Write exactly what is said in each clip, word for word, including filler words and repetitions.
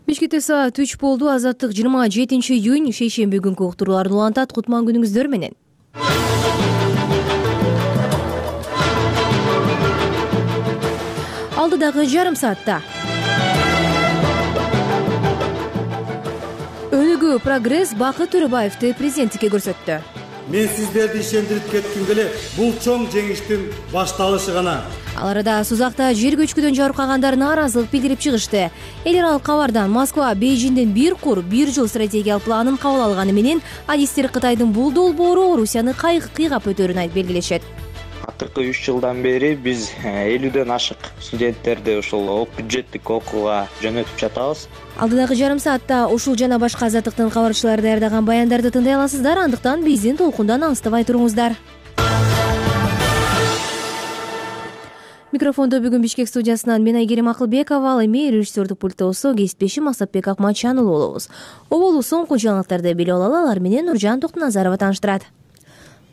Бишкекте саат үч болду. Азаттык жыйырма жетинчи июнь шейшемби күнгү уктурууларды улантат. Кутман күнүңүздөр менен. Алдыдагы жарым саатта өнүгүү прогресс Бакыт Төрөбаевди президенттикке көрсөттү. Мен сиздерди ишендирип кетким келет. Бул чоң жеңиштин башталышы гана. Ал арада Сузакта жер көчкүдөн жабыркагандар нааразылык билдирип чыгышты. Эл аралык кабардан Москва Бейжиңдин бир кур бир жыл стратегиялык планын кабыл алганы менен адистер Кытайдын бул долбоору Орусияны кыйгап өтөрүн айтып белгилешет. Акыркы үч жылдан бери биз элүүдөн ашык студенттерди ушул бюджеттик окууга жөнөтүп жатабыз. Алдыдагы жарым саатта ушул жана башка азаттыктын кабарчылары даярдаган баяндарды тыңдай аласыздар. Андыктан биздин толкундан алыстабай туруңуздар. Микрофондо бүгүн Бишкек студиясынан мен Айгерим Акылбекова, ал эми режиссердик пульттосу кесиптешим Масатбек Акматжан уулу болобуз. Оболу соңку жаңылыктарды билип алалы, алар менен Нуржан Токтуназарова тааныштырат.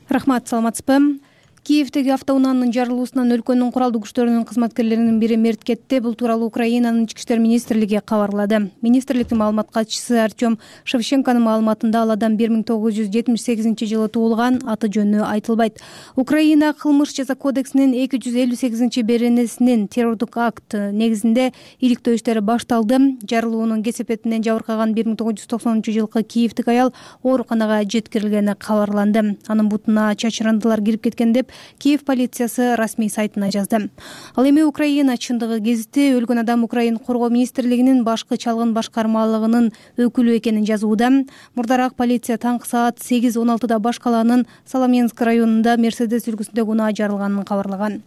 Рахмат, саламатсызбы? Киевдеги автоунаанын жарылуусунан өлкөнүн куралдуу күчтөрүнүн кызматкерлеринин бири мерт кетти. Бул тууралуу Украинанын ички иштер министрлиги кабарлады. Министрликтин маалымат катчысы Артем Шевченконун маалыматында ал адам бир миң тогуз жүз жетимиш сегизинчи жылы туулган, аты жөнү айтылбайт. Украина кылмыш жаза кодексинин эки жүз элүү сегизинчи беренесинин террордук акт негизинде иликтөө иштери башталды. Жарылуунун кесепетинен жабыркаган бир миң тогуз жүз токсонунчу жылкы киевдик аял ооруканага жеткирилгени кабарланды. Анын бутуна чачырандылар кирип кеткен деп Киев полициясы расмий сайтына жазды. Ал эми Украина чындыгы гезити өлгөн адам Украин коргоо министрлигинин башкы чалгын башкармалыгынын өкүлү экенин жазууда. Мурдараак полиция таңкы саат сегиз он алтыда баш калаанын Соломенск районунда Мерседес үлгүсүндөгү унаа жарылганын кабарлаган.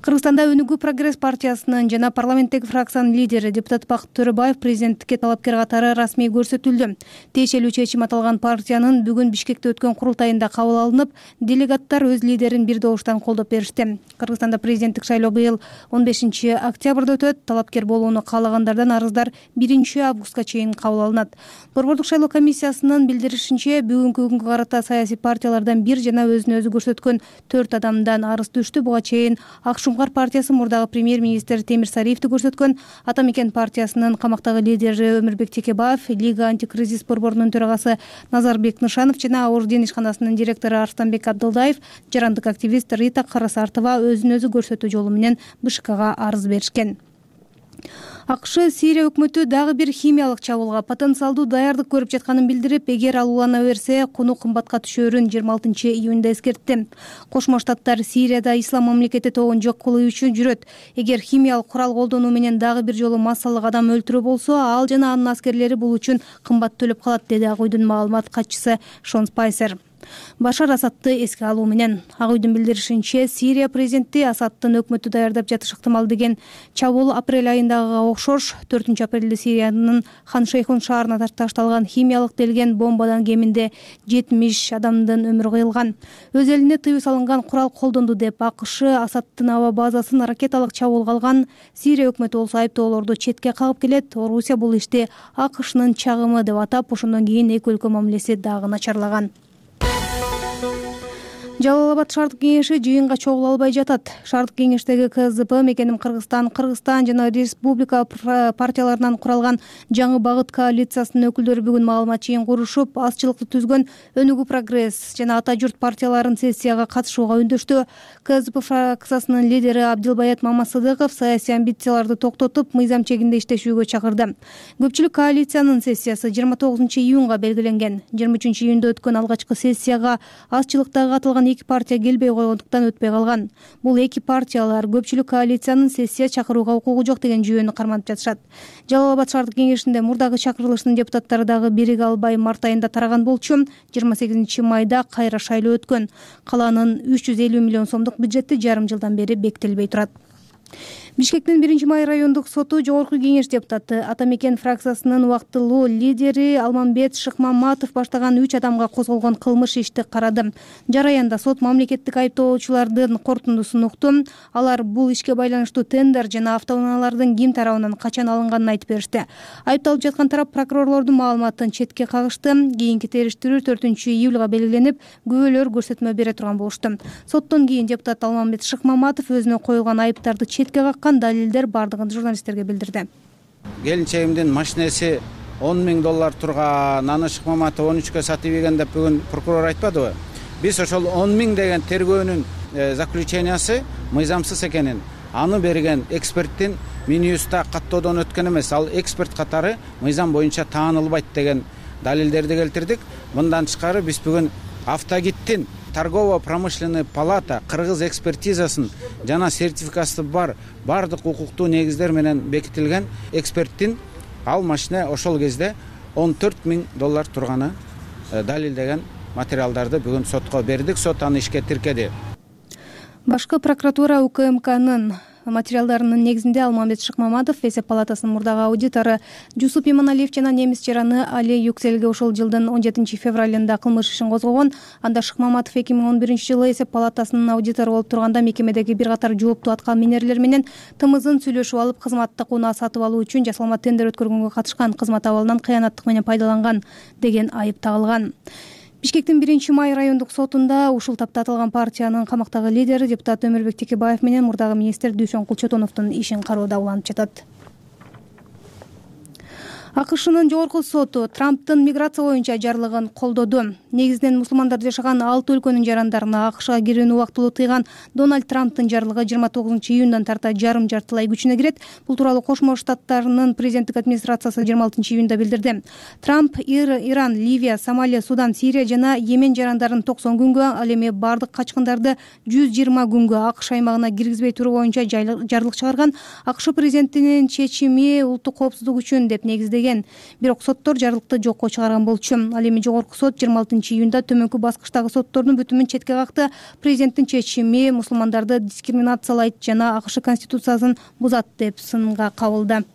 Кыргызстанда Өнүгүү прогресс партиясынын жана парламенттеги фракциянын лидери депутат Бакыт Төрөбаев президенттикке талапкер катары расмий көрсөтүлдү. Тиешелүү чечим аталган партиянын бүгүн Бишкекте өткөн курултайында кабыл алынып, делегаттар өз лидерин бир добуштан колдоп беришти. Кыргызстанда президенттик шайлоо быйыл он бешинчи октябрда өтөт. Талапкер болууну каалагандардан арыздар биринчи августка чейин кабыл алынат. Борбордук шайлоо комиссиясынын билдиришинче, бүгүнкү күнгө карата саясий партиялардан бир жана өзүн өзү көрсөткөн төрт адамдан арыз түштү. Буга чейин Ак Шуңкар партиясы мурдагы премьер-министр Темир Сариевди көрсөткөн. Атамекен партиясынын камактагы лидери Өмүрбек Текебаев, Лига антикризис борборунун төрагасы Назарбек Нышанов жана Орден ишканасынын директору Арстанбек Абдылдаев, жарандык активист Рита Карасартова өзүн өзү көрсөтүү жолу менен БШКга арыз беришкен. АКШ Сирия өкмөтү дагы бир химиялык чабуулга потенциалдуу даярдык көрүп жатканын билдирип, эгер ал улана берсе, куну кымбатка түшөрүн жыйырма алтынчы июнда эскертти. Кошмо Штаттар Сирияда ислам мамлекети тобун жок кылуу үчүн жүрөт. Эгер химиялык курал колдонуу менен дагы бир жолу массалык адам өлтүрүү болсо, ал жана анын аскерлери бул үчүн кымбат төлөп калат, деди Ак үйдүн маалымат катчысы Шон Спайсер. Башар Асадты эске алуу менен Ак үйдүн билдиришинче, Сирия президенти Асадтын өкмөтү даярдап жатышы ыктымал деген чабуул апрель айындагыга окшош. төртүнчү апрелде Сириянын Хан Шейхун шаарына ташталган химиялык делген бомбадан кеминде жетимиш адамдын өмүрү кыйылган. Өз элине тыюу салынган курал колдонду деп АКШ Асадтын аба базасын ракеталык чабуулга алган. Сирия өкмөтү болсо айыптоолорду четке кагып келет. Орусия бул ишти АКШнын чагымы деп атап, ошондон кийин эки өлкө мамилеси дагы начарлаган. Жалал Абад шаардык кеңеши жыйынга чогула албай жатат. Шаардык кеңештеги КЗП Мекеним Кыргызстан, Кыргызстан жана республика партияларынан куралган Жаңы багыт коалициясынын өкүлдөрү бүгүн маалымат жыйын курушуп, азчылыкты түзгөн Өнүгүү прогресс жана Ата журт партияларын сессияга катышууга үндөштү. КЗП фракциясынын лидери Абдилбаят Мамасыдыков саясий амбицияларды токтотуп, мыйзам чегинде иштешүүгө чакырды. Көпчүлүк коалициянын сессиясы жыйырма тогузунчу июнга белгиленген. жыйырма үчүнчү июнда өткөн алгачкы сессияга азчылыкта катылган эки партия келбей койгондуктан өтпөй калган. Бул эки партиялар көпчүлүк коалициянын сессия чакырууга укугу жок деген жүйөнү карманып жатышат. Жалал Абад шаардык кеңешинде мурдагы чакырылыштын депутаттары дагы бириге албай март айында тараган болчу. жыйырма сегизинчи майда кайра шайлоо өткөн. Калаанын үч жүз элүү миллион сомдук бюджети жарым жылдан бери бекитилбей турат. Бишкектин биринчи май райондук соту жогорку кеңеш депутаты, Атамекен фракциясынын убактылуу лидери Алмамбет Шыкмаматов баштаган үч адамга козголгон кылмыш ишти карады. Жараянда сот мамлекеттик айыптоочулардын корутундусун укту. Алар бул ишке байланыштуу тендер жана автоунаалардын ким тарабынан качан алынганын айтып беришти. Айыпталып жаткан тарап прокурорлордун маалыматын четке кагышты. Кийинки териштирүү төртүнчү июлга белгиленип, күбөлөр көрсөтмө бере турган болушту. Соттон кийин депутат Алмамбет Шыкмаматов өзүнө коюлган айыптарды четке каккан, далилдер бардыгын журналисттерге билдирди. келинчегимдин машинеси он миң доллар турган, аны Шыкмаматов он үчкө сатып ийген деп бүгүн прокурор айтпадыбы? Биз ошол он миң деген тергөөнүн заключениясы мыйзамсыз экенин, аны берген эксперттин Минюста каттоодон өткөн эмес, ал эксперт катары мыйзам боюнча таанылбайт деген далилдерди келтирдик. Мындан тышкары биз бүгүн Автогидтин торгово-промышленный палата кыргыз экспертизасын жана сертификаты бар бардык укуктуу негиздер менен бекитилген эксперттин ал машина ошол кезде он төрт миң доллар турганы далилдеген материалдарды бүгүн сотко бердик. Сот аны ишке тиркеди. Башкы прокуратура УКМКнын материалдарынын негизинде Алмамбет Шыкмаматов, эсеп палатасынын мурдагы аудитору Жусуп Иманалиев жана немис жараны Али Юкселге ошол жылдын он жетинчи февралында кылмыш ишин козгогон. Анда Шыкмаматов эки миң он биринчи жылы эсеп палатасынын аудитору болуп турганда мекемедеги бир катар жооптуу аткаминерлер менен тымызын сүйлөшүп алып, кызматтык унаа сатып алуу үчүн жасалма тендер өткөргөнгө катышкан, кызмат абалынан кыянаттык менен пайдаланган деген айып тагылган. Бишкектин биринчи май райондук сотунда ушул тапта аталган партиянын камактагы лидери депутат Өмүрбек Текебаев менен мурдагы министр Дүйшөн Кулчотоновдун ишин кароодо уланып жатат. АКШнын жогорку соту Трамптын миграция боюнча жарлыгын колдоду. Негизинен мусулмандар жашаган алты өлкөнүн жарандарына АКШга кирүүнү убактылуу тыйган Дональд Трамптын жарлыгы жыйырма тогузунчу июндан тарта жарым жартылай күчүнө кирет. Бул тууралуу Кошмо Штаттарынын президенттик администрациясы жыйырма алтынчы июнда билдирди. Трамп Иран, Ливия, Сомалия, Судан, Сирия жана Йемен жарандарын токсон күнгө, ал эми бардык качкындарды жүз жыйырма күнгө АКШ аймагына киргизбей туруу боюнча жарлык чыгарган. АКШ президентинин чечими улуттук коопсуздук үчүн деп негиздеген. Бирок соттор жарлыкты жокко чыгарган болчу. Ал эми жогорку сот жыйырма алтынчы июнда төмөнкү баскычтагы соттордун бүтүмүн четке какты. Президенттин чечими мусулмандарды дискриминациялайт жана АКШ конституциясын бузат деп сынга кабылды.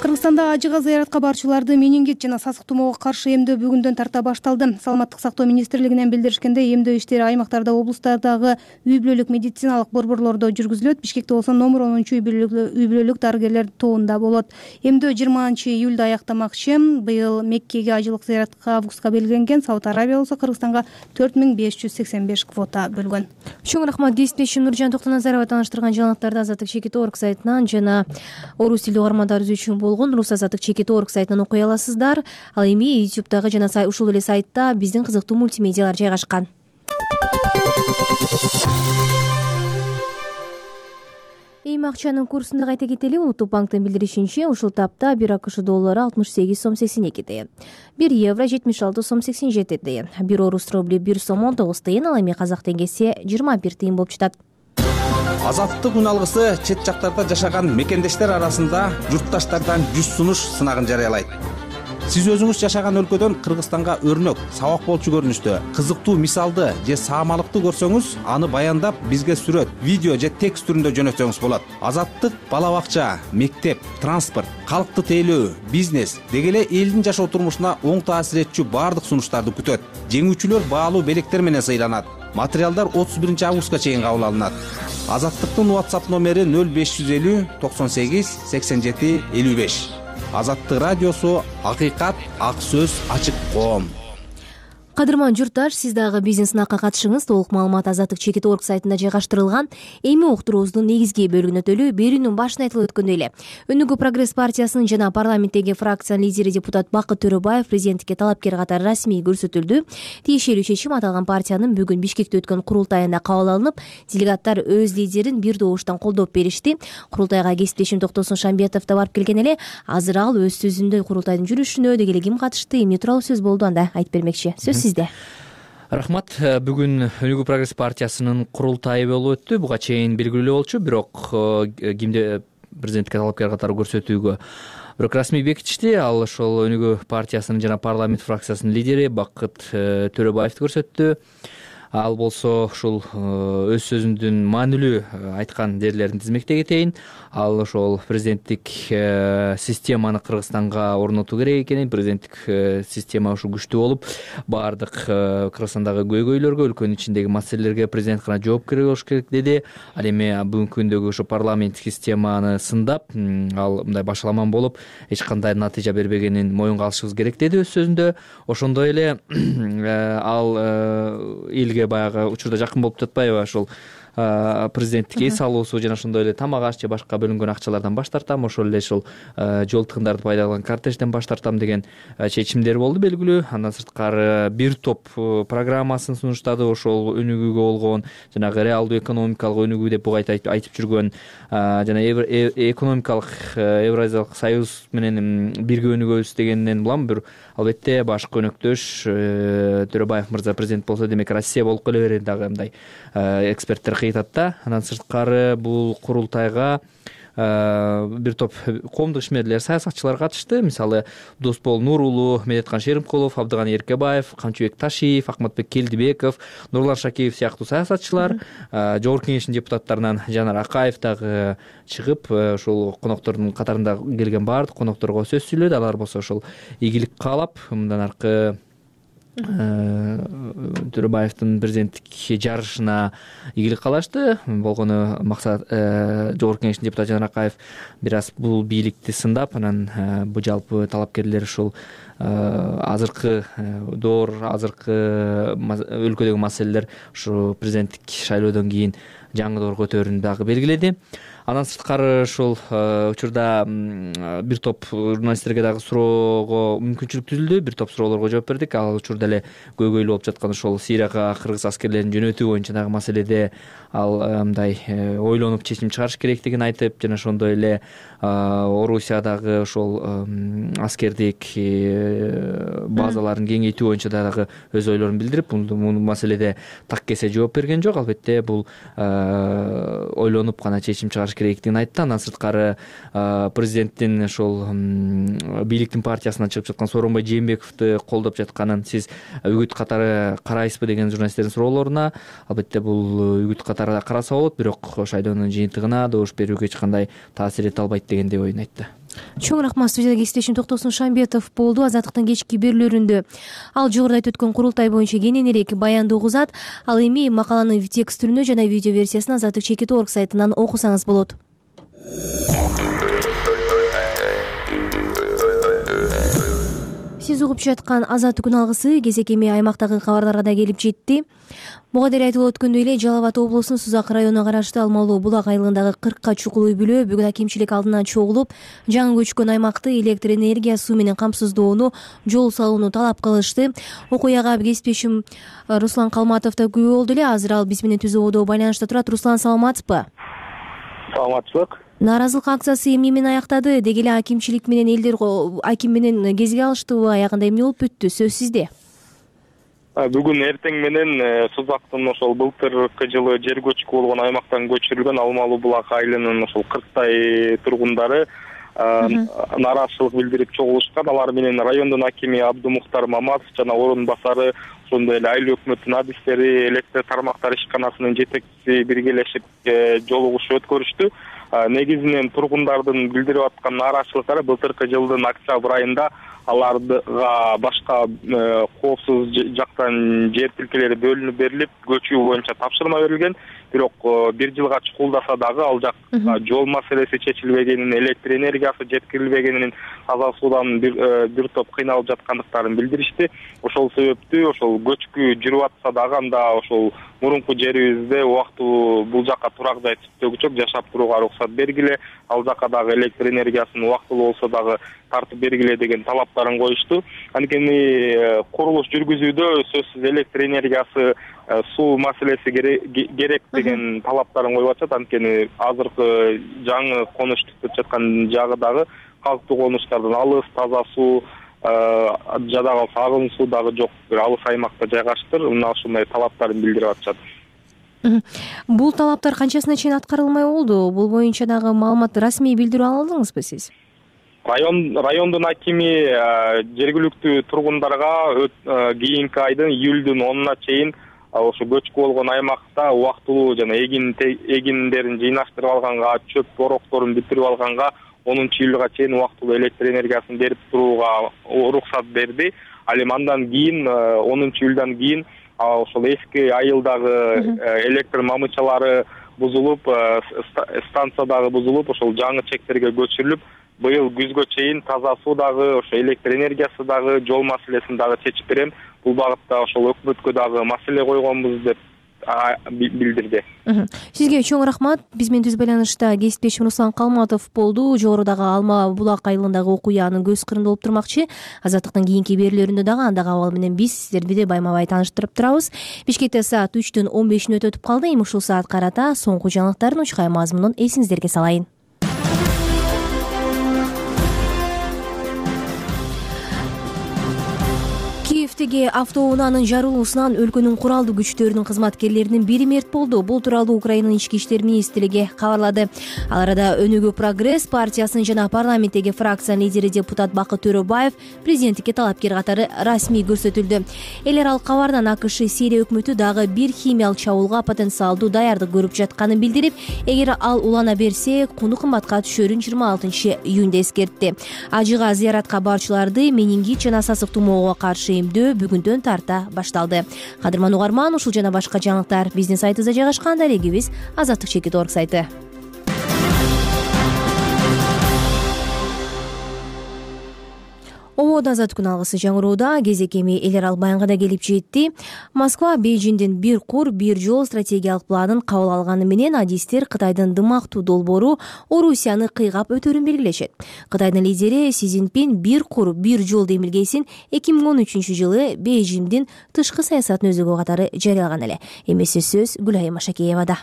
Кыргызстанда ажыга зыяратка барчуларды менингит жана сасык тумоого каршы эмдөө бүгүндөн тарта башталды. Саламаттык сактоо министрлигинен билдиришкендей, эмдөө иштери аймактарда, облустардагы үй бүлөлүк медициналык борборлордо жүргүзүлөт. Бишкекте болсо номер онунчу үй бүлөлүк дарыгерлер тобунда болот. Эмдөө жыйырманчы июлда аяктамакчы. Быйыл Меккеге ажылык зыяратка августка белгиленген. Сауд Арабия болсо Кыргызстанга төрт миң беш жүз сексен беш квота бөлгөн. Чоң рахмат. Кесиптешим Нуржан Токтоназарова тааныштырган жаңылыктарды Азаттык чекит орг сайтынан жана орус тилдүү угармандарыбыз үчүн болгон Рус Азаттык чекит орг сайтынан окуй аласыздар. Ал эми ютубтагы жана ушул эле сайтта биздин кызыктуу мультимедиалар жайгашкан. Эми акчанын курсун да кайта кетели. Улуттук банктын билдиришинче, ушул тапта бир АКШ доллары алтымыш сегиз сом сексен эки тыйын, бир евро жетимиш алты сом сексен жети тыйын, бир орус рубли бир сом он тогуз тыйын, ал эми казак теңгеси жыйырма бир тыйын болуп жатат. Азаттык үн алгысы чет жактарда жашаган мекендештер арасында журтташтардан жүз сунуш сынагын жарыялайт. Сиз өзүңүз жашаган өлкөдөн Кыргызстанга өрнөк, сабак болчу көрүнүштө, кызыктуу мисалды же саамалыкты көрсөңүз, аны баяндап бизге сүрөт, видео же текст түрүндө жөнөтсөңүз болот. Азаттык бала бакча, мектеп, транспорт, калкты тейлөө, бизнес деги эле элдин жашоо турмушуна оң таасир этчү бардык сунуштарды күтөт. Жеңүүчүлөр баалуу белектер менен сыйланат. Материалдар отуз биринчи августка чейин кабыл алынат. Азаттыктын WhatsApp номери нөл беш жүз элүү токсон сегиз сексен жети элүү беш. Азаттык радиосу, акыйкат, ак сөз, ачык коом. Кадырман журтташ, сиз дагы биздин сынакка катышыңыз. Толук маалымат Азаттык чекит орг сайтында жайгаштырылган. Эми уктуруубуздун негизги бөлүгүнө өтөлү. Берүүнүн башында айтылып өткөндөй эле, Өнүгүү прогресс партиясынын жана парламенттеги фракциянын лидери депутат Бакыт Төрөбаев президенттикке талапкер катары расмий көрсөтүлдү. Тиешелүү чечим аталган партиянын бүгүн Бишкекте өткөн курултайында кабыл алынып, делегаттар өз лидерин бир добуштан колдоп беришти. Курултайга кесиптешим Токтосун Шамбетов да барып келген эле. Азыр ал өз сөзүндө курултайдын жүрүшүнө деги эле ким катышты, эмне тууралуу сөз болду анда айтып бермекчи. Сөз сизде. Рахмат. Бүгүн Өнүгүү прогресс партиясынын курултайы болуп өттү. Буга чейин белгилүү болчу, бирок кимди президенттикке талапкер катары көрсөтүүгө бирок расмий бекитишти. Ал ошол Өнүгүү партиясынын жана парламент фракциясынын лидери Бакыт Төрөбаевди көрсөттү. Ал болсо ушул өз сөзүндүн маанилүү айткан жерлерин тизмектей кетейин. Ал ошол президенттик системаны Кыргызстанга орнотуу керек экенин, президенттик система ушу күчтүү болуп, баардык Кыргызстандагы көйгөйлөргө, өлкөнүн ичиндеги маселелерге президент гана жоопкер болуш керек деди. Ал эми бүгүнкү күндөгү ушу парламенттик системаны сындап, ал мындай башаламан болуп, эч кандай натыйжа бербегенин моюнга алышыбыз керек деди өз сөзүндө. Ошондой эле ал элге баягы учурда жакын болуп жатпайбы, ошол президенттик эс алуусу жана ошондой эле тамак аш же башка бөлүнгөн акчалардан баш тартам, ошол эле ушул жол тыгындарды пайдаланган кортежден баш тартам деген чечимдер болду белгилүү. Андан сырткары бир топ программасын сунуштады, ошол өнүгүүгө болгон жанагы реалдуу экономикалык өнүгүү деп буга айтып жүргөн жана экономикалык Евразиялык союз менен бирге өнүгөбүз дегенден улам бир албетте башкы өнөктөш Төрөбаев мырза президент болсо демек Россия болуп келе берет дагы мындай эксперттер кыйтат да. Андан сырткары бул курултайга бир топ коомдук ишмерлер, саясатчылар катышты. Мисалы Досбол Нурулу, Медеткан Шеримкулов, Абдыганы Эркебаев, Камчыбек Ташиев, Акматбек Келдибеков, Нурлан Шакеев сыяктуу саясатчылар, Жогорку Кеңештин депутаттарынан Жанар Акаев дагы чыгып, ушул коноктордун катарында келген баардык конокторго сөз сүйлөдү. Алар болсо ошол игилик каалап, мындан аркы Төрөбаевдин президенттик жарышына ийгилик каалашты. Болгону максат Жогорку Кеңештин депутаты Жанар Акаев бир аз бул бийликти сындап, анан бул жалпы талапкерлер ушул азыркы доор, азыркы өлкөдөгү маселелер ушу президенттик шайлоодон кийин жаңы доор көтөрүүнү дагы белгиледи. Андан сырткары ушул учурда бир топ журналисттерге дагы суроого мүмкүнчүлүк түзүлдү. Бир топ суроолорго жооп бердик. Ал учурда эле көйгөйлүү болуп жаткан ушул Сирияга кыргыз аскерлерин жөнөтүү боюнча дагы маселеде ал мындай ойлонуп чечим чыгарыш керектигин айтып, жана ошондой эле Орусиядагы ошол аскердик базаларын кеңейтүү боюнча дагы өз ойлорун билдирип, бул маселеде так кесе жооп берген жок. Албетте бул ойлонуп гана чечим чыгарыш керектигин айтты. Андан сырткары президенттин ошол бийликтин партиясынан чыгып жаткан Сооронбай Жээнбековду колдоп жатканын сиз үгүт катары карайсызбы деген журналисттердин суроолоруна, албетте бул үгүт катары да караса болот, бирок шайлоонун жыйынтыгына добуш берүүгө эч кандай таасир эте албайт дегендей оюн айтты. Чоң рахмат. Студияда кесиптешим Токтосун Шамбетов болду. Азаттыктын кечки берүүлөрүндө ал жогоруда айтып өткөн курултай боюнча кененирээк баяндоо угузат. Ал эми макаланын текст түрүнө жана видео версиясын азаттык чекит орг сайтынан окусаңыз болот. Сиз угуп жаткан Азаттык күн алгысы кезекеми аймактагы кабарларга да келип жетти. Буга дейин айтылып өткөндөй эле Жалал Абад облусунун Сузак районуна караштуу Алмалуу булак айылындагы кыркка чукул үй бүлө бүгүн акимчилик алдынан чогулуп, жаңы көчкөн аймакты электр энергия, суу менен камсыздоону, жол салууну талап кылышты. Окуяга кесиптешим Руслан Калматов да күбө болду эле. Азыр ал биз менен түзүү одо байланышта турат. Руслан, саламатсызбы? Саламатчылык. Нааразылык акциясы эмне менен аяктады? Деги эле акимчилик менен элдер аким менен кезге алыштыбы? Аягында эмне болуп бүттү? Сөз сизде. Бүгүн эртең менен Сузактын ошол былтыркы жылы жер көчкү болгон аймактан көчүрүлгөн Алмалуу булак айылынын ошол кырктай тургундары нааразычылык билдирип чогулушкан. Алар менен райондун акими Абдумухтар Маматов жана орун басары, ошондой эле айыл өкмөтүнүн адистери, электр тармактары ишканасынын жетекчиси биргелешип жолугуш өткөрүштү. Негизинен тургундардын билдирип аткан нааразычылыктары былтыркы жылдын октябрь айында аларга башка коопсуз жактан жер тилкелери бөлүнүп берилип, көчүү боюнча тапшырма берилген. Бирок бир жылга чукулдаса дагы ал жакка жол маселеси чечилбегенин, электр энергиясы жеткирилбегенин, таза суудан бир топ кыйналып жаткандыктарын билдиришти. Ошол себептүү ошол көчкү жүрүп атса дагы анда ошол мурунку жерибизде убактылуу бул жакка турак жай түзгүчөк жашап турууга уруксат бергиле, ал жакка дагы электр энергиясын убактылуу болсо дагы тартып бергиле деген талаптарын коюшту. Анткени курулуш жүргүзүүдө сөзсүз электр энергиясы, суу маселеси керек деген талаптарын коюп атышат. Анткени азыркы жаңы конуш түзүп жаткан жагы дагы калктуу конуштардан алыс, таза суу, жада калса агым суу дагы жок, бир алыс аймакта жайгаштыр. Мына ушундай талаптарын билдирип атышат. Бул талаптар канчасына чейин аткарылмай болду? Бул боюнча дагы маалымат, расмий билдирүү алдыңызбы сиз? Район райондун акими жергиликтүү тургундарга кийинки айдын июлдун онуна чейин ошо көчкү болгон аймакта убактылуу жана эгин эгиндерин жыйнаштырып алганга, чөп борокторун бүтүрүп алганга онунчу июлга чейин убактылуу электр энергиясын берип турууга уруксат берди. Ал эми андан кийин онунчу июлдан кийин ошол эски айылдагы электр мамычалары бузулуп, станция дагы бузулуп, ошол жаңы чектерге көчүрүлүп, быйыл күзгө чейин таза суу дагы, ошо электр энергиясы дагы, жол маселесин дагы чечип берем. Бул багытта ошол өкмөткө дагы маселе койгонбуз деп билдирди. Сизге чоң рахмат. Биз менен түз байланышта кесиптешим Руслан Калматов болду. Жогорудагы Алма Булак айылындагы окуянын көз кырында болуп турмакчы. Азаттыктын кийинки берүүлөрүндө дагы андагы абал менен биз сиздерди де байма бай тааныштырып турабыз. Бишкекте саат үчтүн он беш мүнөт өтүп калды. Эми ушул саат карата соңку жаңылыктардын учкай мазмунун эсиңиздерге салайын. Киевдеги автоунаанын жарылуусунан өлкөнүн куралдуу күчтөрүнүн кызматкерлеринин бири мерт болду. Бул тууралуу Украинанын ички иштер министрлиги кабарлады. Ал арада Өнүгүү Прогресс партиясынын жана парламенттеги фракциянын лидери депутат Бакыт Төрөбаев президенттикке талапкер катары расмий көрсөтүлдү. Эл аралык кабардан АКШ Сирия өкмөтү дагы бир химиялык чабуулга потенциалдуу даярдык көрүп жатканын билдирип, эгер ал улана берсе, куну кымбатка түшөрүн жыйырма алтынчы июнда эскертти. Ажыга зыяратка барчыларды менингит жана сасык тумоого каршы эмдөө бүгүндөн тарта башталды. Кадырман угарман, ушул жана башка жаңылыктар биздин сайтыбызда жайгашкан. Дарегибиз азаттык чекит точка орг сайты. Ободо азаттык күн алгысы жаңыроодо кезек эми эл аралык баянга да келип жетти. Москва Бейжиңдин бир кур бир жол стратегиялык планын кабыл алганы менен адистер Кытайдын дымактуу долбоору Орусияны кыйгап өтөрүн белгилешет. Кытайдын лидери Си Цзиньпин бир кур бир жол демилгесин эки миң он үчүнчү жылы Бейжиңдин тышкы саясатын өзөгү катары жарыялаган эле. Эмесе сөз Гүлайым Машакеевада.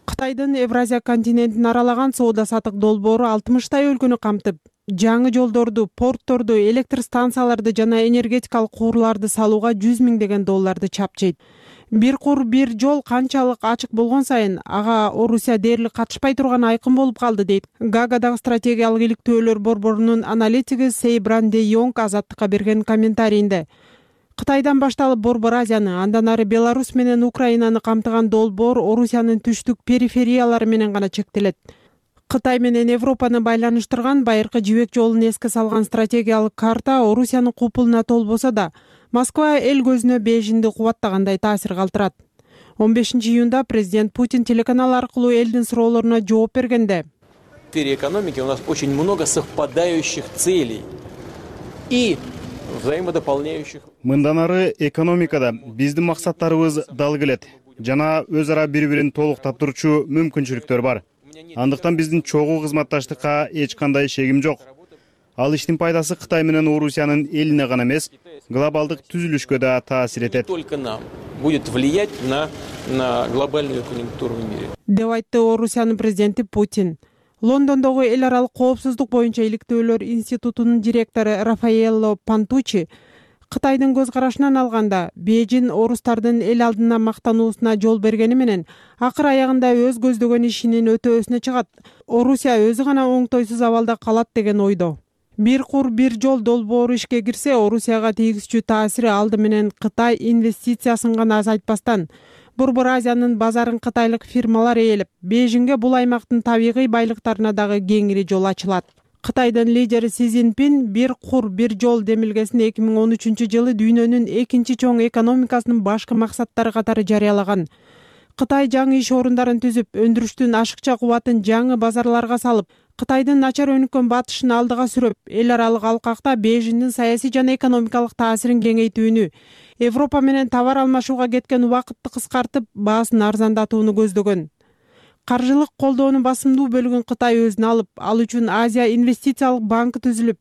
Кытайдын Евразия континентин аралаган соода саттык долбоору алтымыштай өлкөнү камтып, жаңы жолдорду, портторду, электр станцияларды жана энергетикалык куурларды салууга жүз миңдеген долларды чапчыйт. Бир кур бир жол канчалык ачык болгон сайын ага Орусия дээрлик катышпай турганы айкын болуп калды, дейт Гаагадагы стратегиялык иликтөөлөр борборунун аналитиги Сейбран де Йонг азаттыкка берген комментарийинде. Кытайдан башталып Борбор Азияны, андан ары Беларусь менен Украинаны камтыган долбоор Орусиянын түштүк перифериялары менен гана чектелет. Кытай менен Европаны байланыштырган байыркы жибек жолун эске салган стратегиялык карта Орусиянын купулуна толбосо да, Москва эл көзүнө Бейжиңди кубаттагандай таасир калтырат. он бешинчи июнда президент Путин телеканал аркылуу элдин суроолоруна жооп бергенде: В сфере экономики у нас очень много совпадающих целей и взаимодополняющих. Мындан ары экономикада биздин максаттарыбыз дал келет жана өз ара бири-бирин толуктап турчу мүмкүнчүлүктөр бар. Андыктан биздин чогуу кызматташтыкка эч кандай шегим жок. Ал иштин пайдасы Кытай менен Орусиянын элине гана эмес, глобалдык түзүлүшкө да таасир этет. Только нам будет влиять на на глобальную конъюнктуру в мире. Деп айтты Орусиянын президенти Путин. Лондондогу эл аралык коопсуздук боюнча иликтөөлөр институтунун директору Рафаэлло Пантучи Кытайдын көз карашынан алганда Бейжиң орустардын эл алдына мактануусуна жол бергени менен акыр аягында өз көздөгөн ишинин өтөөсүнө чыгат. Орусия өзү гана оңтойсуз абалда калат деген ойдо. Бир кур бир жол долбоору ишке кирсе, Орусияга тийгизчү таасири алды менен Кытай инвестициясын гана азайтпастан, Борбор Азиянын базарын кытайлык фирмалар ээлеп, Бейжиңге бул аймактын табигый байлыктарына дагы кеңири жол ачылат. Кытайдын лидери Си Цзиньпин бир кур бир жол демилгесин эки миң он үчүнчү жылы дүйнөнүн экинчи чоң экономикасынын башкы максаттары катары жарыялаган. Кытай жаңы иш орундарын түзүп, өндүрүштүн ашыкча кубатын жаңы базарларга салып, Кытайдын начар өнүккөн батышын алдыга сүрөп, эл аралык алкакта Бейжиңдин саясий жана экономикалык таасирин кеңейтүүнү, Европа менен товар алмашууга кеткен убакытты кыскартып, баасын арзандатууну көздөгөн. Каржылык колдоонун басымдуу бөлүгүн Кытай өзүнө алып, ал үчүн Азия инвестициялык банкы түзүлүп,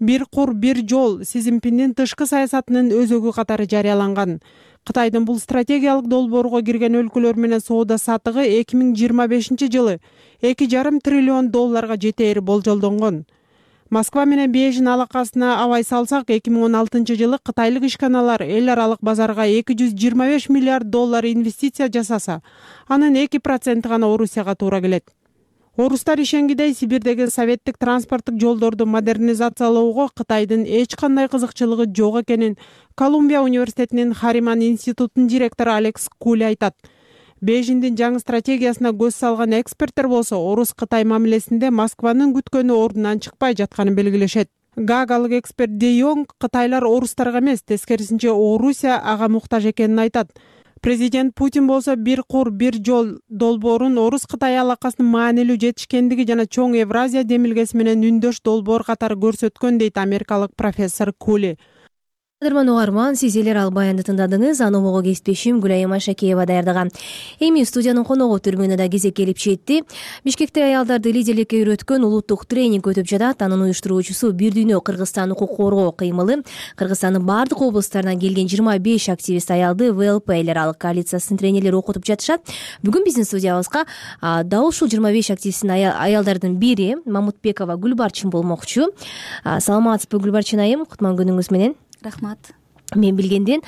бир кур бир жол Си Цзиньпиндин тышкы саясатынын өзөгү катары жарыяланган. Кытайдын бул стратегиялык долбоорго кирген өлкөлөр менен соода саттыгы эки миң жыйырма бешинчи жылы эки жарым триллион долларга жетери болжолдонгон. Москва менен Бейжиң алакасына абай салсак, эки миң он алтынчы жылы кытайлык ишканалар эл аралык базарга эки жүз жыйырма беш миллиард доллар инвестиция жасаса, анын эки проценти гана Орусияга туура келет. Орустар ишенгидей Сибирдеги советтик транспорттук жолдорду модернизациялоого Кытайдын эч кандай кызыкчылыгы жок экенин Колумбия университетинин Хариман институтунун директору Алекс Кули айтат. Бейжиңдин жаңы стратегиясына көз салган эксперттер болсо, Орус-Кытай мамилесинде Москванын күткөнү ордунан чыкпай жатканын белгилешет. Гаагалык эксперт Де Йонг Кытайлар орустарга эмес, тескерисинче Орусия ага муктаж экенин айтат. Президент Путин болсо бир кур бир жол долбоорун Орус-Кытай алакасынын маанилүү жетишкендиги жана чоң Евразия демилгеси менен үндөш долбоор катары көрсөткөн, дейт америкалык профессор Кули. кадырман угарман, сиз эл аралык баянды тыңдадыңыз. Аномого кесиптешим Гүлайым Ашакеева даярдаган. Эми студиянын коногу түрмөнүнө да кезек келип жетти. Бишкекте аялдарды лидерликке үйрөткөн улуттук тренинг өтүп жатат. Анын уюштуруучусу Бир дүйнө Кыргызстан укук коргоо кыймылы. Кыргызстандын бардык облустарынан келген жыйырма беш активист аялды вэ эл пэ эл аралык коалициясынын тренерлери окутуп жатышат. Бүгүн биздин студиябызга дал ушул жыйырма беш активисттин аялдардын бири Мамутбекова Гүлбарчын болмокчу. Саламатсызбы Гүлбарчын айым, кутман күнүңүз менен. Рахмат. Мен билгенден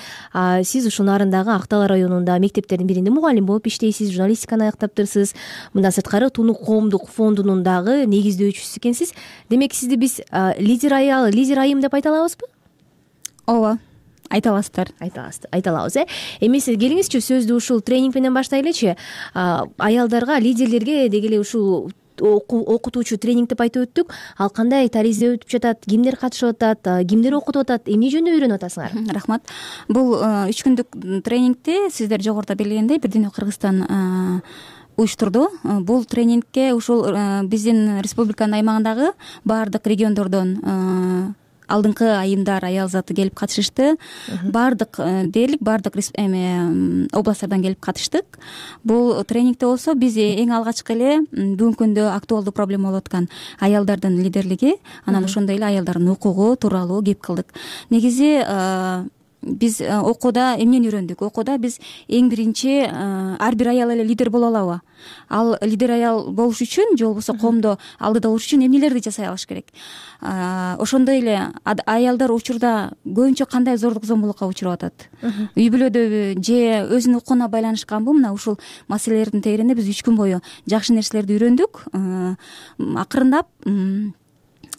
сиз ушул нарындагы Актал районунда мектептердин биринде мугалим болуп иштейсиз, журналистиканы аяктаптырсыз. Мындан сырткары Тунук коомдук фондунун дагы негиздөөчүсү экенсиз. Демек сизди биз лидер аял, лидер айым деп айта алабызбы? Ооба, айта аласыздар. Айта алабыз, э. Эми сиз келиңизчи, сөздү ушул тренинг менен баштайлычы. Аялдарга, лидерлерге деги эле ушул окутуучу тренинг деп айтып өттүк. Ал кандай таризде өтүп жатат, кимдер катышып атат, кимдер окутуп атат, эмне жөнүндө үйрөнүп атасыңар? Рахмат. Бул үч күндүк тренингти сиздер жогоруда белгилегендей Бир дүйнө Кыргызстан уюштурду. Бул тренингке ушул биздин республиканын аймагындагы баардык региондордон алдыңкы айымдар, аял заты келип катышышты. Баардык дээрлик баардык эме областтардан келип катыштык. Бул тренингде болсо биз эң алгачкы эле бүгүнкү күндө актуалдуу проблема болуп аткан аялдардын лидерлиги, анан ошондой эле аялдардын укугу тууралуу кеп кылдык. Негизи биз окууда эмнени үйрөндүк? Окууда биз эң биринчи ар бир аял эле лидер боло алабы? Ал лидер аял болуш үчүн же болбосо коомдо алдыда болуш үчүн эмнелерди жасай алыш керек? Ошондой эле аялдар учурда көбүнчө кандай зордук зомбулукка учурап атат? Үй бүлөдөбү же өзүнүн укугуна байланышканбы? Мына ушул маселелердин тегерегинде биз үч күн бою жакшы нерселерди үйрөндүк. Акырындап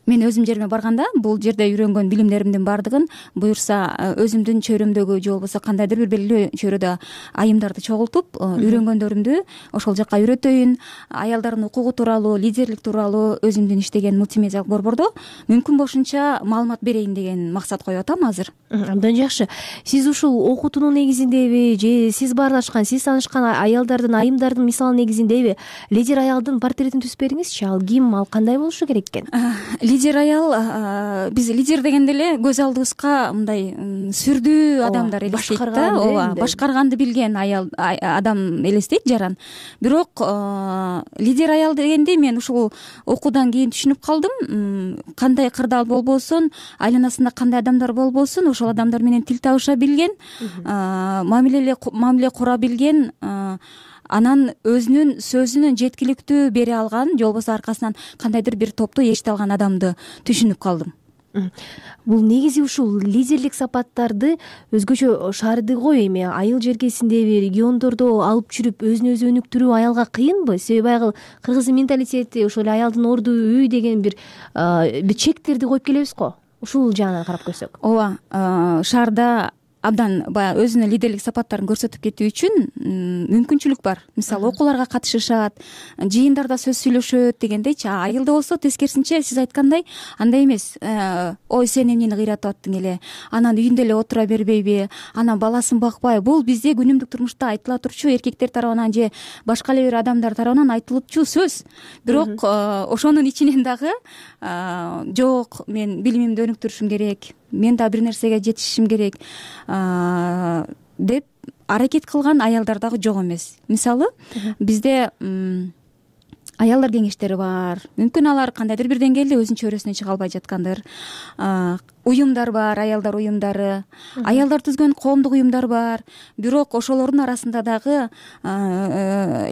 мен өзүм жериме барганда бул жерде үйрөнгөн билимдеримдин баардыгын буюрса өзүмдүн чөйрөмдөгү же болбосо кандайдыр бир белгилүү чөйрөдө айымдарды чогултуп үйрөнгөндөрүмдү ошол жака үйрөтөйүн. Аялдардын укугу тууралуу, лидерлик тууралуу өзүмдүн иштеген мультимедиалык борбордо мүмкүн болушунча маалымат берейин деген максат коюп атам азыр. Абдан жакшы. Сиз ушул окутуунун негизиндеби же сиз баарлашкан, сиз таанышкан аялдардын, айымдардын мисалы негизиндеби лидер аялдын портретин түзүп бериңизчи. Ал ким, ал кандай болушу керек экен? Лидер аял, биз лидер дегенде эле көз алдыбызга мындай сүрдүү адамдар элестейт да, ооба, башкарганды билген аял адам элестейт жаран. Бирок лидер аял дегенде мен ушул окуудан кийин түшүнүп калдым, кандай кырдаал болбосун, айланасында кандай адамдар болбосун, ошол адамдар менен тил табыша билген, мамиле мамиле кура билген, анан өзүнүн сөзүнүн жеткиликтүү бере алган, же болбосо аркасынан кандайдыр бир топту ээрите алган адамды түшүнүп калдым. Бул негизи ушул лидерлик сапаттарды өзгөчө шаарды го, эми айыл жеркесиндеби, региондордо алып жүрүп өзүн өзү өнүктүрүү аялга кыйынбы? Себеби айыл кыргыздын менталитети ошол эле аялдын орду үй деген бир бир чектерди коюп келебиз го. Ушул жагынан карап көрсөк. Ооба, шаарда абдан баягы өзүнүн лидерлик сапаттарын көрсөтүп кетүү үчүн мүмкүнчүлүк бар. Мисалы окууларга катышышат, жыйындарда сөз сүйлөшөт дегендейчи. Айылда болсо тескерисинче сиз айткандай андай эмес. Ой, сен эмнени кыйратып аттың эле? Анан үйүндө эле отура бербейби? Анан баласын бакпай? Бул бизде күнүмдүк турмушта айтыла турчу, эркектер тарабынан же башка эле бир адамдар тарабынан айтылчу сөз. Бирок ошонун ичинен дагы жок, мен билимимди өнүктүрүшүм керек, мен да бир нерсеге жетишишим керек деп аракет кылган аялдар дагы жок эмес. Мисалы, бизде аялдар кеңештери бар. Мүмкүн алар кандайдыр бир деңгээлде өзүнүн чөйрөсүнөн чыга албай жаткандыр. Уюмдар бар, аялдар уюмдары, аялдар түзгөн коомдук уюмдар бар. Бирок ошолордун арасында дагы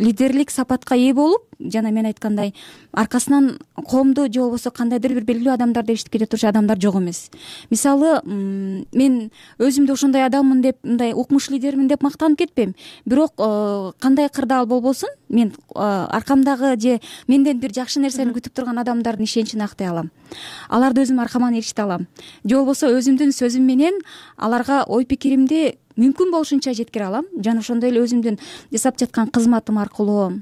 лидерлик сапатка ээ болуп, жана мен айткандай, аркасынан коомду же болбосо кандайдыр бир белгилүү адамдарды эшитип кете турчу адамдар жок эмес. Мисалы, мен өзүмдү ошондой адаммын деп, мындай укмуш лидермин деп мактанып кетпейм. Бирок кандай кырдаал болбосун, мен аркамдагы же менден бир жакшы нерсени күтүп турган адамдардын ишеничин актай алам. Аларды өзүм аркаман ээрчите алам. Же болбосо өзүмдүн сөзүм менен аларга ой пикиримди мүмкүн болушунча жеткире алам. Жана ошондой эле өзүмдүн жасап жаткан кызматым аркылуу,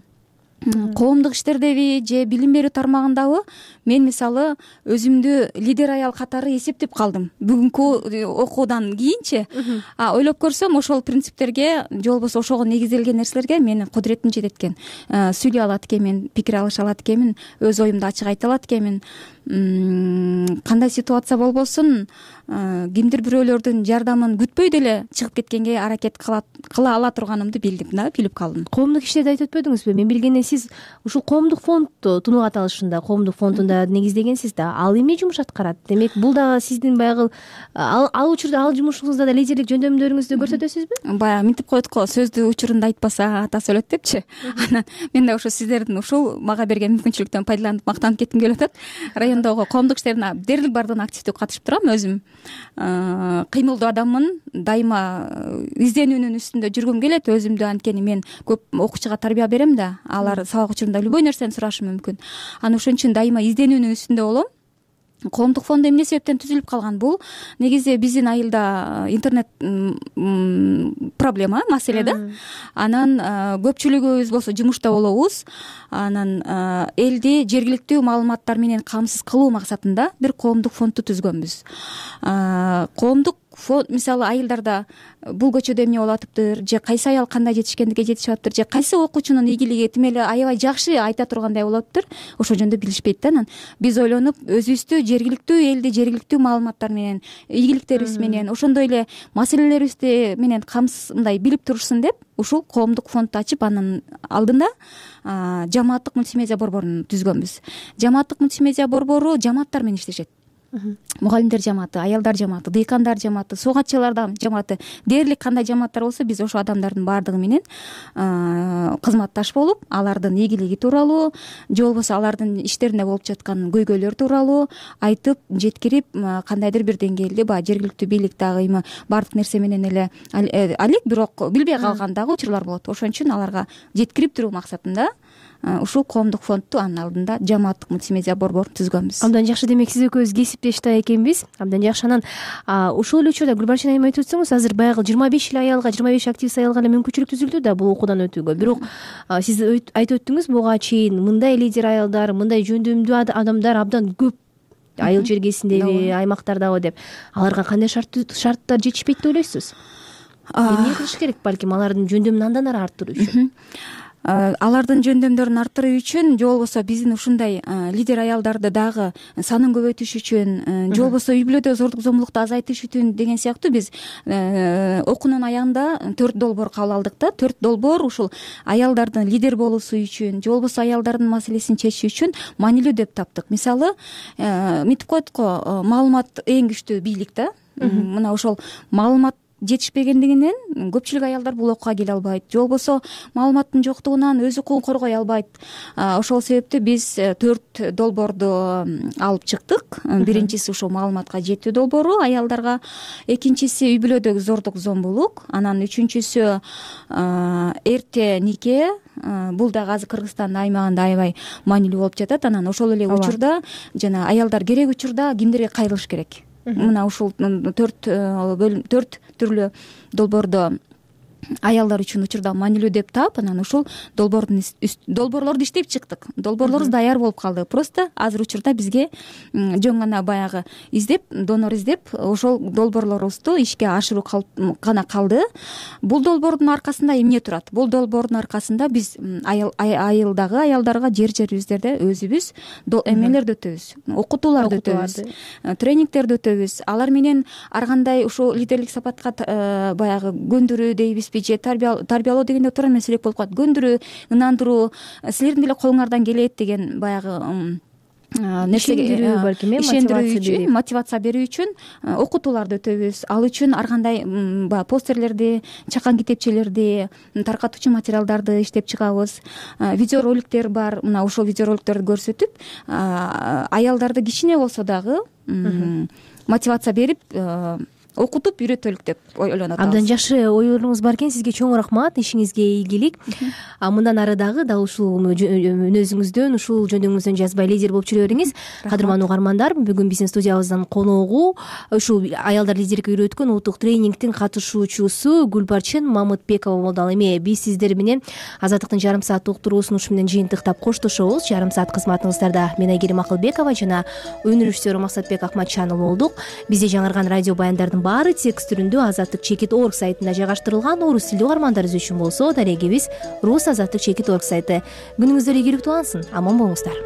коомдук иштердеби же билим берүү тармагындабы мен мисалы өзүмдү лидер аял катары эсептеп калдым бүгүнкү окуудан кийинчи. А ойлоп көрсөм ошол принциптерге же болбосо ошого негизделген нерселерге менин кудуретим жетет экен, сүйлөй алат экенмин, пикир алыша алат экенмин, өз оюмду ачык айта алат экенмин. Кандай ситуация болбосун кимдир бирөөлөрдүн жардамын күтпөй деле чыгып кеткенге аракет кыла ала турганымды билдим да, билип калдым. Коомдук иштерди айтып өтпөдүңүзбү? Мен билгенден сиз ушул коомдук фондду тунук аталышында коомдук фондунда негиздегенсиз да. Ал эмне жумуш аткарат? Демек бул дагы сиздин баягы ал учурда ал жумушуңузда да лидерлик жөндөмдөрүңүздү көрсөтөсүзбү? Баягы мынтип коет го, сөздү учурунда айтпаса атасы өлөт депчи. Анан мен да ошо сиздердин ушул мага берген мүмкүнчүлүктөн пайдаланып мактанып кетким келип атат. Райондогу коомдук иштердин дээрлик баардыгына активдүү катышып турам өзүм. Кыймылдуу адаммын, дайыма изденүүнүн үстүндө жүргүм келет. Өзүмдү анткени мен көп окуучуга тарбия берем да, алар сабак учурунда любой нерсени сурашы мүмкүн. Анан ошон үчүн дайыма изденүүнүн үстүндө болом. Коомдук фонд эмне себептен түзүлүп калган? Бул негизи биздин айылда интернет проблема, маселе да. Анан көпчүлүгүбүз болсо жумушта болобуз. Анан элди жергиликтүү маалыматтар менен камсыз кылуу максатында бир коомдук фондду түзгөнбүз. Коомдук фонд мисалы айылдарда бул көчөдө эмне болуп атыптыр, же кайсы аял кандай жетишкендикке жетишип атыптыр, же кайсы окуучунун ийгилиги тим эле аябай жакшы айта тургандай болуп атыптыр, ошол жөнүндө билишпейт да. Анан биз ойлонуп өзүбүздү жергиликтүү элди жергиликтүү маалыматтар менен, ийгиликтерибиз менен, ошондой эле маселелерибизди менен камсыз мындай билип турушсун деп ушул коомдук фондду ачып, анын алдында жамааттык мультимедиа борборун түзгөнбүз. Жамааттык мультимедиа борбору жамааттар менен иштешет. Мугалимдер жамааты, аялдар жамааты, дыйкандар жамааты, суугатчылар жамааты, дээрлик кандай жамааттар болсо биз ошол адамдардын баардыгы менен кызматташ болуп, алардын ийгилиги тууралуу же болбосо алардын иштеринде болуп жаткан көйгөйлөр тууралуу айтып, жеткирип, кандайдыр бир деңгээлде баягы жергиликтүү бийлик дагы эми баардык нерсе менен эле алек, бирок билбей калган дагы учурлар болот. Ошон үчүн аларга жеткирип туруу максатында ушул коомдук фондду анын алдында жамааттык мультимедиа борборун түзгөнбүз. Абдан жакшы. Демек сиз экөөбүз кесиптеш да экенбиз. Абдан жакшы. Анан ушул эле учурда Гүлбарчын айым айтып өтсөңүз, азыр баягы жыйырма беш эле аялга, жыйырма беш активист аялга эле мүмкүнчүлүк түзүлдү да бул окуудан өтүүгө. Бирок сиз айтып өттүңүз, буга чейин мындай лидер аялдар, мындай жөндөмдүү адамдар абдан көп айыл жергесиндеби, аймактардабы деп. Аларга кандай шарттар жетишпейт деп ойлойсуз? Эмне кылыш керек балким алардын жөндөмүн андан ары арттыруу үчүн? Алардын жөндөмдөрүн арттыруу үчүн же болбосо биздин ушундай лидер аялдарды дагы санын көбөйтүш үчүн, же болбосо үй бүлөдө зордук зомбулукту азайтыш үчүн деген сыяктуу биз окуунун аягында төрт долбоор кабыл алдык да. Төрт долбоор ушул аялдардын лидер болуусу үчүн же болбосо аялдардын маселесин чечүү үчүн маанилүү деп таптык. Мисалы, мынтип коет го, маалымат эң күчтүү бийлик да. Мына ошол маалымат жетишпегендигинен көпчүлүк аялдар бул окууга келе албайт, же болбосо маалыматтын жоктугунан өз укугун коргой албайт. Ошол себептен биз төрт долбоорду алып чыктык. Биринчиси ушул маалыматка жетүү долбоору аялдарга, экинчиси үй бүлөдөгү зордук зомбулук, анан үчүнчүсү эрте нике. Бул дагы азыр Кыргызстандын аймагында аябай маанилүү болуп жатат. Анан ошол эле учурда жана аялдар керек учурда кимдерге кайрылыш керек. Мына ушул төрт бөлүм, төрт түрлүү долбоорду аялдар үчүн учурда маанилүү деп таап, анан ушул долбоордун долбоорлорду иштеп чыктык. Долбоорлорубуз даяр болуп калды. Просто азыр учурда бизге жөн гана баягы издеп, донор издеп, ошол долбоорлорубузду ишке ашыруу гана калды. Бул долбоордун аркасында эмне турат? Бул долбоордун аркасында биз айылдагы аялдарга жер жерибиздерде өзүбүз эмелерди өтөбүз, окутууларды өтөбүз, тренингтерди өтөбүз. Алар менен ар кандай ушул лидерлик сапатка баягы көндүрүү дейбиз, же тарбиялоо дегенде туура эмес элек болуп калат. Көндүрүү, ынандыруу, силердин деле колуңардан келет деген баягы нерсеге ишендирүү үчүн, мотивация берүү үчүн окутууларды өтөбүз. Ал үчүн ар кандай баягы постерлерди, чакан китепчелерди, таркатуучу материалдарды иштеп чыгабыз. Видеороликтер бар. Мына ошол видеороликтерди көрсөтүп, аялдарды кичине болсо дагы мотивация берип, окутуп үйрөтөлүк деп ойлонуп атабыз. Абдан жакшы ойлоруңуз бар экен, сизге чоң рахмат, ишиңизге ийгилик. А мындан ары дагы дал ушул мүнөзүңүздөн, ушул жөнүңүздөн жазбай лидер болуп жүрө бериңиз. Кадырман угармандар, бүгүн биздин студиябыздан коногу ушул аялдар лидерlikке үйрөткөн улуттук тренингдин катышуучусу Гүлбарчын Мамытбекова болду. Ал эми биз сиздер менен Азаттыктын жарым сааттык уктуруусун ушу менен жыйынтыктап коштошобуз. Жарым саат кызматыңыздарда мен Айгерим Акылбекова жана өнөр режиссеру Максатбек Акматчанов болдук. Бизде жаңырган радио баяндардын баары текст түрүндө азаттык чекит орг сайтында жайгаштырылган. Орус тилдүү угармандарыбыз үчүн болсо дарегибиз рус азаттык чекит орг сайты. Күнүңүздөр ийгиликтүү алсын, аман болуңуздар.